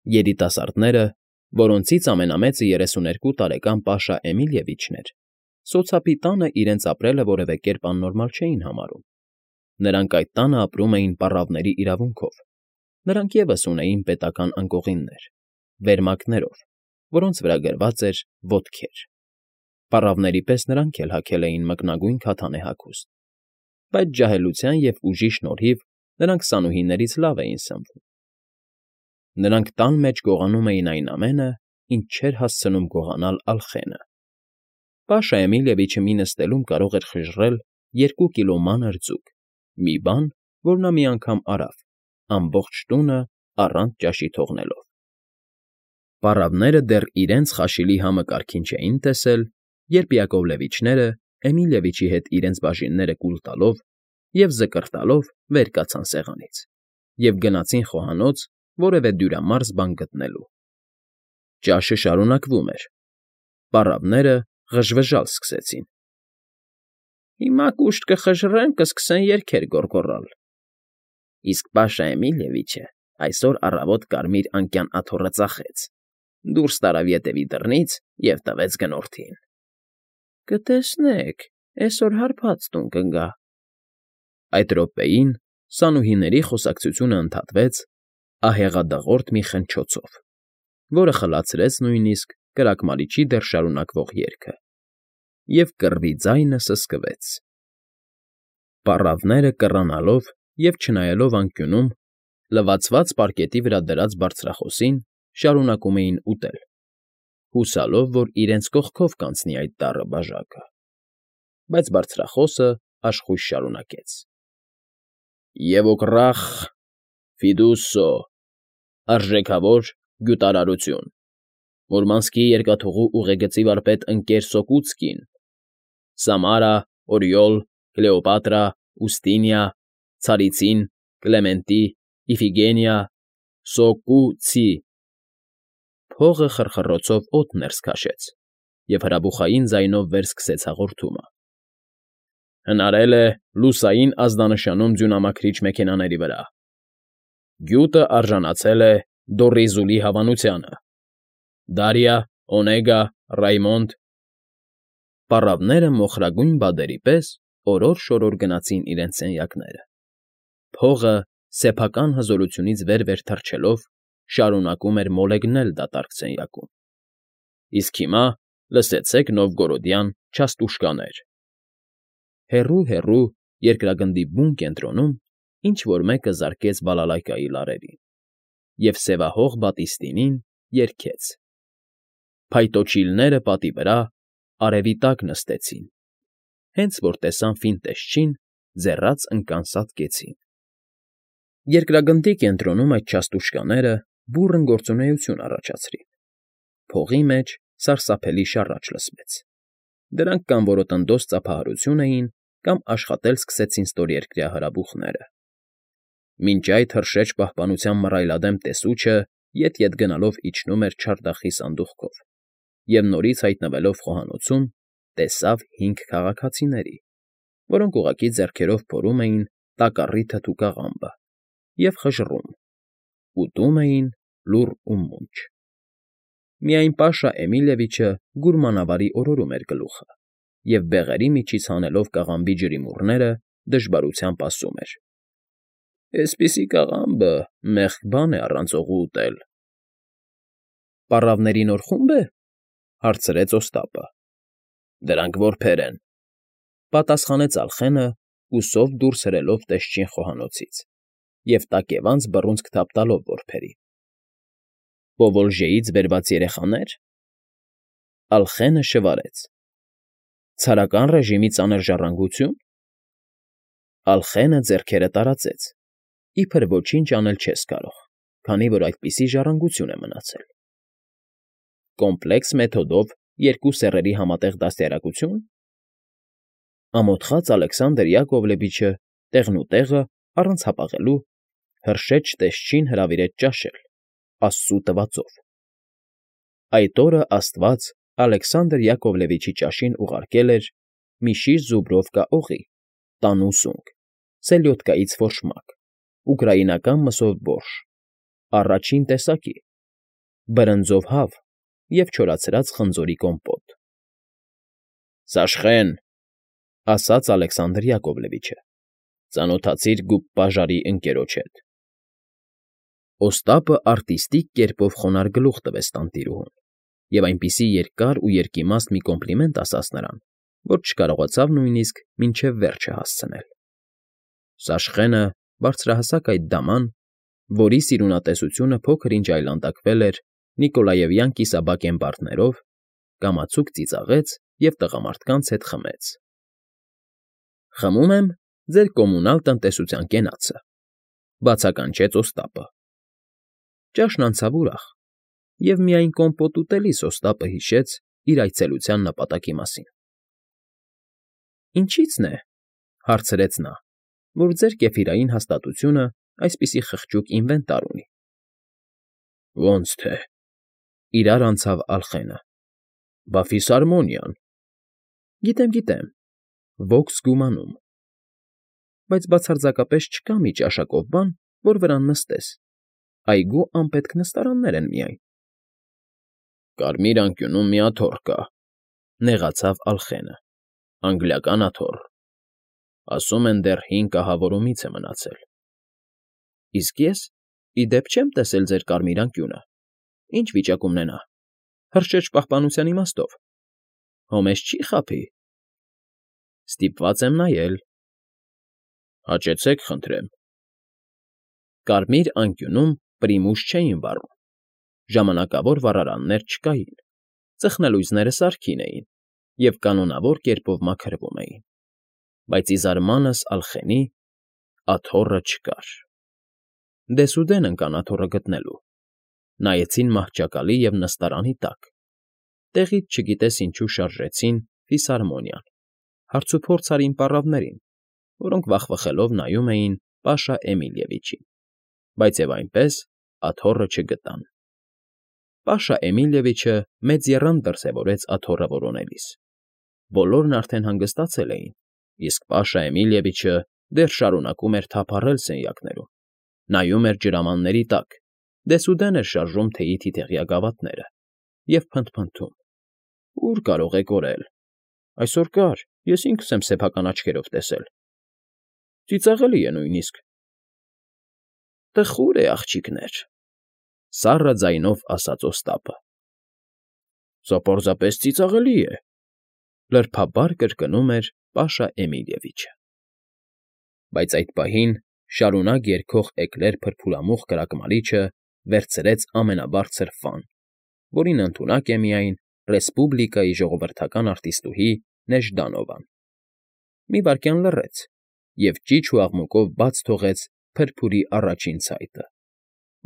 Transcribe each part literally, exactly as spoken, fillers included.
Երիտասարդները, որոնցից ամենամեծը երեսուներկու տարեկան Պաշա Էմիլյևիչն էր, սոցապի տանը իրենց ապրելը որևէ կերպ աննորմալ չէին համարում. նրանք այդ տանը ապրում էին պառավների իրավունքով, նրանք ևս ունեին պետական անկողիններ, վերմակներով, որոնց վրա գրված էր «ոտքեր»։ Պառավների պես նրանք էլ հագել էին մկնագույն քաթանե հագուստ, բայց ջահելության և ուժի շնորհիվ նրանք սանուհիներից լավ էին սնվում։ Նրանք տան մեջ գողանում էին այն ամենը, ինչ չէր հասցնում գողանալ Ալխենը։ Պաշա Էմիլյևիչը մի նստելում կարող էր խժռել երկու կիլո մանր ձուկ, մի բան, որ նա մի անգամ արավ, ամբողջ տունը առանց ճաշի թողնելով։ Պառավները դեռ իրենց խաշիլի համը կարգին չէին տեսել, երբ Յակովլևիչները, Էմիլյևիչի հետ իրենց բաժինները կուլ տալով և զկռտալով վեր կացան սեղանից և գնացին խոհանոց որևէ դյուրամարս բան գտնելու։ Ճաշը շարունակվում էր։ Պառավները ղժվժալ սկսեցին։ «Հիմա կուշտ կխժռեն, կսկսեն երգեր գոռգոռալ, իսկ Պաշա Էմիլյևիչը այսօր առավոտ կարմիր անկյան աթոռը ծախեց, դուրս տարավ ետևի դռնից և տվեց գնորդին։ Կտեսնեք, էսօր հարբած տուն կգա»։ Այդ րոպեին սանուհիների խոսակցությունը ընդհատվեց ահեղադղրդի մի խնչոցով, որը խլացրեց նույնիսկ կրակմալիչի դեռ շարունակվող երգը, և կռվի ձայնը սսկվեց։ Պառավները կռանալով և չնայելով անկյունում, լվացված պարկետի վրա դրած բարձրախոսին, շարունակում էին ուտել, հուսալով, որ իրենց կողքով կանցնի այդ դառը բաժակը։ Բայց բարձրախոսը աշխույժ շարունակեց. «Եվոկռախ Ֆիդուսո, արժեքավոր գյուտարարություն, Մուրմանսկի երկաթուղու ուղեգծի վարպետ ընկեր Սոկուցկին, Սամարա, Օրիոլ, Կլեոպատրա, Ուստինիա, Ցարիցին, Կլեմենտի, Իֆիգենիա, Սոկու֊ցի…» Փողը խռխռոցով օդ ներս քաշեց, և հրաբուխային ձայնով վերսկսեց հաղորդումը. «Հնարել է լուսային ազդանշանում ձյունամաքրիչ մեքենաների վրա… Գյուտը արժանացել է Դոռիզուլի հավանությանը… Դարիա, Օնեգա, Ռայմոնդ…» Պառավները մոխրագույն բադերի պես օրոր֊շորոր գնացին իրենց սենյակները։ Փողը, սեփական հզորությունից վեր֊վեր թռչելով, շարունակում էր մոլեգնել դատարկ սենյակում։ Իսկ հիմա լսեցեք նովգորոդյան չաստուշկաներ… Հեռո՜ւ֊հեռու, երկրագնդի բուն կենտրոնում ինչ֊որ մեկը զարկեց բալալայկայի լարերին, և սևահող բատիստինին երգեց. Փայտոջիլները պատի վրա Արևի տակ նստեցին, Հենց որ տեսան Ֆինտեշչին, ձեռաց ընկան սատկեցին… Երկրագնդի կենտրոնում այդ չաստուշկաները բուռն գործունեություն առաջացրին։ Փողի մեջ սարսափելի շառաչ լսվեց։ Դրանք կամ որոտնդոս ծափահարություն էին, կամ աշխատել սկսեցին ստորերկրյա հրաբուխները։ Մինչ այդ հրշեջ պահպանության մռայլադեմ տեսուչը ետ֊ետ գնալով իջնում էր չարդախի սանդուղքով և, նորից հայտնվելով խոհանոցում, տեսավ հինգ քաղաքացիների, որոնք ուղղակի ձեռքերով փորում էին տակառի թթու կաղամբը և խժռում, ուտում էին լուռ ու մունջ։ Միայն Պաշա Էմիլյևիչը գուրմանավարի օրորում էր գլուխը և, բեղերի միջից հանելով կաղամբի ջրիմուռները, դժվարությամբ ասում էր. «Էսպիսի կաղամբը մեղք բան է առանց օղու ուտել»։ «Պառավների նոր խումբ է,֊ հարցրեց Օստապը։ ֊ Դրանք որբեր են,֊ պատասխանեց Ալխենը, ուսով դուրս հրելով տեսչին խոհանոցից և տակևանց բռունցք թափ տալով որբերին։ ֊ Պովոլժեից բերված երեխանե՞ր…»։ Ալխենը շվարեց. «Ցարական ռեժիմի ծանր ժառանգությո՞ւն»։ Ալխենը ձեռքերը տարածեց, իբր ոչինչ անել չես կարող, քանի որ այդպիսի ժառանգություն է մնացել։ ֊ Կոմպլեքս մեթոդով երկու սեռերի համատեղ դաստիարակությո՞ւն։ Ամոթխած Ալեքսանդր යակովլևիչը տեղնուտեղը, առանց հապաղելու, հրշեջ տեսչին հրավիրեց ճաշել, աստծու տվածով։ Այդ օրը աստված Ալեքսանդր යակովլևիչի ճաշին ուղարկել էր մի շիշ զուբրովկա օղի, տանու սունկ, սելյոդկայից ֆորշմակ, ուկրաինական մսով բորշ, առաջին տեսակի, բրնձով հավ և չորացրած խնձորի կոմպոտ։ ֊ Սաշխեն,֊ ասաց Ալեքսանդր یاکովլևիչը,֊ ծանոթացիր գուպպաժարի ընկերոջ հետ։ Օստապը արտիստիկ կերպով խոնարհ գլուխ տվեց տանտիրուհուն և այնպիսի երկար ու երկիմաստ մի կոմպլիմենտ ասաց նրան, որ չկարողացավ նույնիսկ մինչև վերջը հասցնել։ Սաշխենը, բարձրահասակ այդ դաման, որի սիրունատեսությունը փոքր֊ինչ այլանդակվել էր նիկոլաևյան կիսաբակ էմբարներով, կամացուկ ծիծաղեց և տղամարդկանց հետ խմեց։ ֊ Խմում եմ ձեր կոմունալ տնտեսության կենացը,֊ բացականչեց Օստապը։ Ճաշն անցավ ուրախ, և միայն կոմպոտ ուտելիս Օստապը հիշեց իր այցելության նպատակի մասին։ ֊ Ինչի՞ցն է,֊ հարցրեց նա,֊ որ ձեր կեֆիրային հաստատությունը այսպիսի խղճուկ ինվենտար ունի։ ֊ Ոնց թե,֊ իրար անցավ Ալխենը,֊ բա ֆիսհարմոնիան… ֊ Գիտեմ, գիտեմ, ոգս գումանում… Բայց բացարձակապես չկա մի ճաշակով բան, որ վրան նստես, այգու անպետք նստարաններ են միայն։ ֊ Կարմիր անկյունում մի աթոռ կա,֊ նեղացավ Ալխենը,֊ անգլիական աթոռ… Ասում են դեռ հին կահավորումից է մնացել։ ֊ Իսկ ես, ի դեպ, չեմ տեսել ձեր կարմիր անկյունը, ի՞նչ վիճակումն է նա, հրշեջ պահպանության իմաստով… Հո մեզ չի՞ խաբի։ ֊ Ստիպված եմ նայել։ ֊ Հաճեցեք, խնդրեմ։ Կարմիր անկյունում պրիմուս չէին վառում, ժամանակավոր վառարաններ չկային, ծխնելույզները սարքին էին և կանոնավոր կերպով մաքրվում էին, բայց, ի զարմանս Ալխենի, աթոռը չկար։ Դեսուդեն ընկան աթոռը գտնելու, նայեցին մահճակալի և նստարանի տակ, տեղից չգիտես ինչու շարժեցին ֆիսհարմոնիան, հարցուփորձ արին պառավներին, որոնք վախվխելով նայում էին Պաշա Էմիլիևիչին, բայց և այնպես աթոռը չգտան։ Պաշա Էմիլիևիչը մեծ եռանդ դրսևորեց աթոռը որոնելիս։ Բոլորն արդեն հանգստացել էին, իսկ Պաշա Էմիլիևիչը դեռ շարունակում էր թափառել սենյակներում, նայում էր ջրամանների տակ, դեսուդեն էր շարժում թեյի թիթեղյա գավաթները և փնթփնթում. «Ո՞ւր կարող է կորել… Այսօր կար, ես ինքս եմ սեփական աչքերով տեսել… Ծիծաղելի է նույնիսկ»։ ֊ Տխուր է, աղջիկներ,֊ սառը ձայնով ասաց Օստապը։ ֊ Սա պարզապես ծիծաղելի է,֊ լրբաբար կրկնում էր Պաշա Էմիլիևիչը։ Բայց այդ պահին շարունակ երգող էկլեր փրփուրամուխ կրակմալիչը վերցրեց ամենաբարձր ֆան, որին ընդունակ է միայն Ռեսպուբլիկայի ժողովրդական արտիստուհի Նեժդանովան, մի վայրկյան լռեց և ճիչ ու աղմուկով բաց թողեց փրփուրի առաջին ցայտը,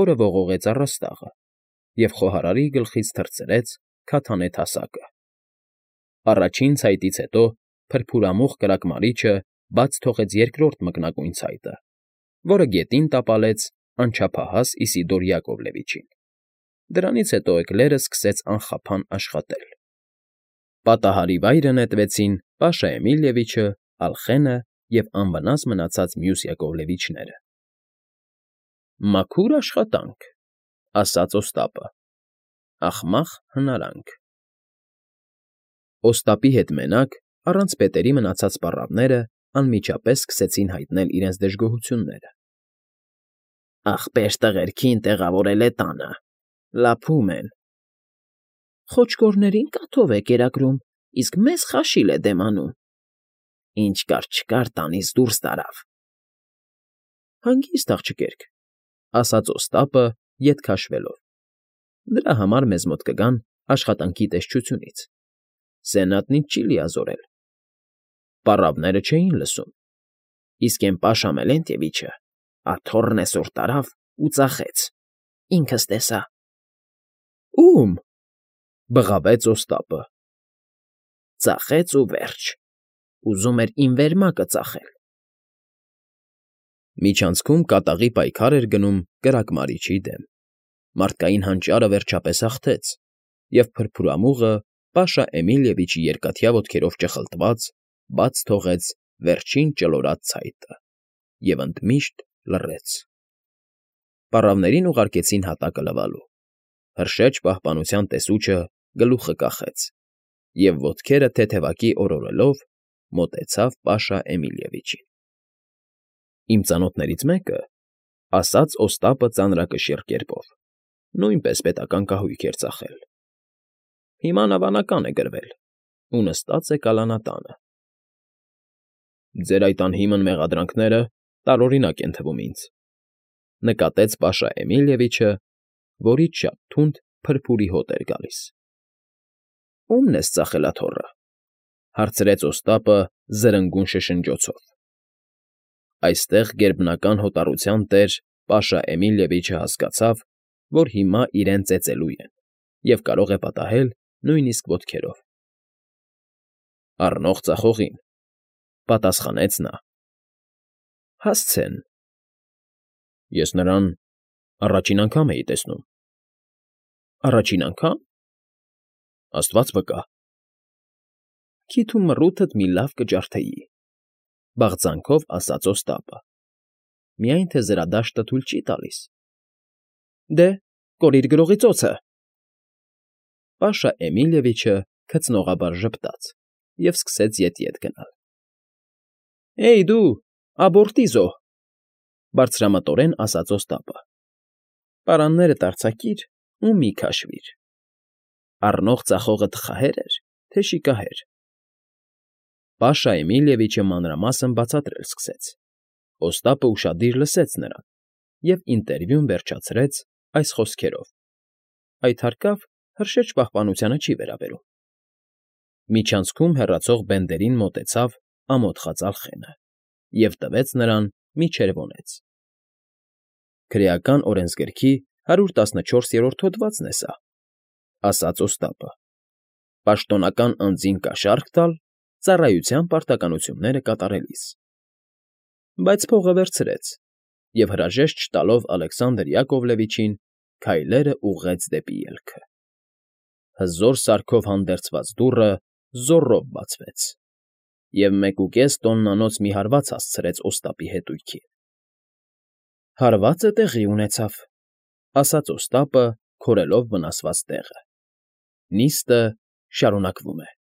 որը ողողեց առաստաղը և խոհարարի գլխից թռցրեց քաթանե թասակը։ Առաջին ցայտից հետո փրփուրամուխ կրակմալիչը բաց թողեց երկրորդ մկնագույն ցայտը, որը գետին տապալեց անչափահաս Իսիդոր یاکովլևիչին։ Դրանից հետո էկլերը սկսեց անխափան աշխատել։ Պատահարի վայրը նետվեցին Պաշա Էմիլիևիչը, Ալխենը և անվնաս մնացած մյուս Յակովլևիչները։ ֊ Մաքուր աշխատանք,֊ ասաց Օստապը,֊ ախմախ հնարանք… Օստապի հետ մենակ, առանց պետերի մնացած պառավները անմիջապես սկսեցին հայտնել իրենց դժգոհությունները։ ֊ Ախպեր տղերքին տեղավորել է տանը, լափում են… ֊ Խոճկորներին կաթով է կերակրում, իսկ մեզ խաշիլ է դեմ անում… Ինչ կար֊չկար, տանից դուրս տարավ… ֊ Հանգիստ, աղջիկերք,֊ ասաց Օստապը, ետ քաշվելով,֊ դրա համար մեզ մոտ կգան աշխատանքի տեսչությունից… Սենատնից չի լիազորել… Պառավները չէին լսում, իսկ էն Պաշա Մելենտևիչը աթոռն էսօր տարավ ու ծախեց, ինքս տեսա… ֊ Ո՞ւմ,֊ բղավեց Օստապը։ ֊ Ծախեց ու վերջ… Ուզում էր իմ վերմակը ծախել… Միջանցքում կատաղի պայքար էր գնում կրակմալիչի դեմ, մարդկային հանճարը վերջապես հաղթեց, և փրփուրամուղը Պաշա Էմիլիևիչի երկաթյա ոտքերով ճխլտված բաց թողեց վերջին ճլորած ցայտը և ընդմիշտ լռեց։ Պառավներին ուղարկեցին հատակը լվալու, Հրշեջ պահպանության տեսուչը գլուխը կախեց և, ոտքերը թեթևակի օրորելով, մոտեցավ Պաշա Էմիլյևիչին։ ֊ Իմ ծանոթներից մեկը,֊ ասաց Օստապը ծանրակշիռ կերպով, նույնպես պետական կահույք էր ծախել. հիմա նավանական է գրվել ու նստած է կալանատանը։ ֊ Ձեր այդ անհիմն մեղադրանքները տարօրինակ են թվում ինձ,֊ նկատեց Պաշա Էմիլյևիչը, որից շատ թունդ փրփուրի հոտ էր գալիս։ ֊ Ո՞ւմն ես ծախել աթոռը,֊ հարցրեց Օստապը զրնգուն շշնջոցով։ Այստեղ գերբնական հոտառության տեր Պաշա Էմիլյևիչը հասկացավ, որ հիմա իրեն ծեծելու են և կարող է պատահել նույնիսկ ոտքերով։ ֊ Առնող ձախողին,֊ պատասխանեց նա։ ֊ Հասցեն։ ֊ Ես նրան առաջին անգամ էի տեսնում։ ֊ Առաջին անգա՞մ։ ֊ Աստված վկա։ ֊ Քիթ ու մռութդ մի լավ կջարդեի,֊ բաղձանքով ասաց Օստապը,֊ միայն թե զրադաշտը թույլ չի տալիս։ ֊ Դե, կորիր գրողի ծոցը… Պաշա Էմիլյևիչը քծնողաբար ժպտաց և սկսեց ետևյետ գնալ։ ֊ Էյ դու, աբորտիզո,֊ բարձրամտորեն ասաց Օստապը,֊ պարաններդ արձակիր ու մի քաշվիր… Առնող ձախողը տխահե՞ր էր, թե շիկահեր։ Պաշա Էմիլյևիչը մանրամասն բացատրել սկսեց։ Օստապը ուշադիր լսեց նրան և ինտերվյուն վերջացրեց այս խոսքերով. «Այդ հարկավ հրշեջ պահպանությանը չի վերաբերում»։ Միջանցքում հեռացող բենդերին մոտեցավ ամոթխած ալխենը և տվեց նրան մի չերվոնեց։ ֊ Քրեական օրենսգրքի հարյուր տասնչորսերորդ հոդվածն է սա,֊ ասաց Օստապը,֊ պաշտոնական անձին կաշառք տալ ծառայության պարտականությունները կատարելիս։ Բայց փողը վերցրեց և, հրաժեշտ չտալով Ալեքսանդր යակովլևիչին, քայլերը ուղղեց դեպի ելքը։ Հզոր սարքով հանդերձված դուռը զոռով բացվեց, և մեկուկես տոննանոց մի հարված հասցրեց Օստապի հետույքին։ ֊ Հարվածը տեղի ունեցավ,֊ ասաց Օստապը, քորելով վնասված տեղը,֊ նիստը շարունակվում է։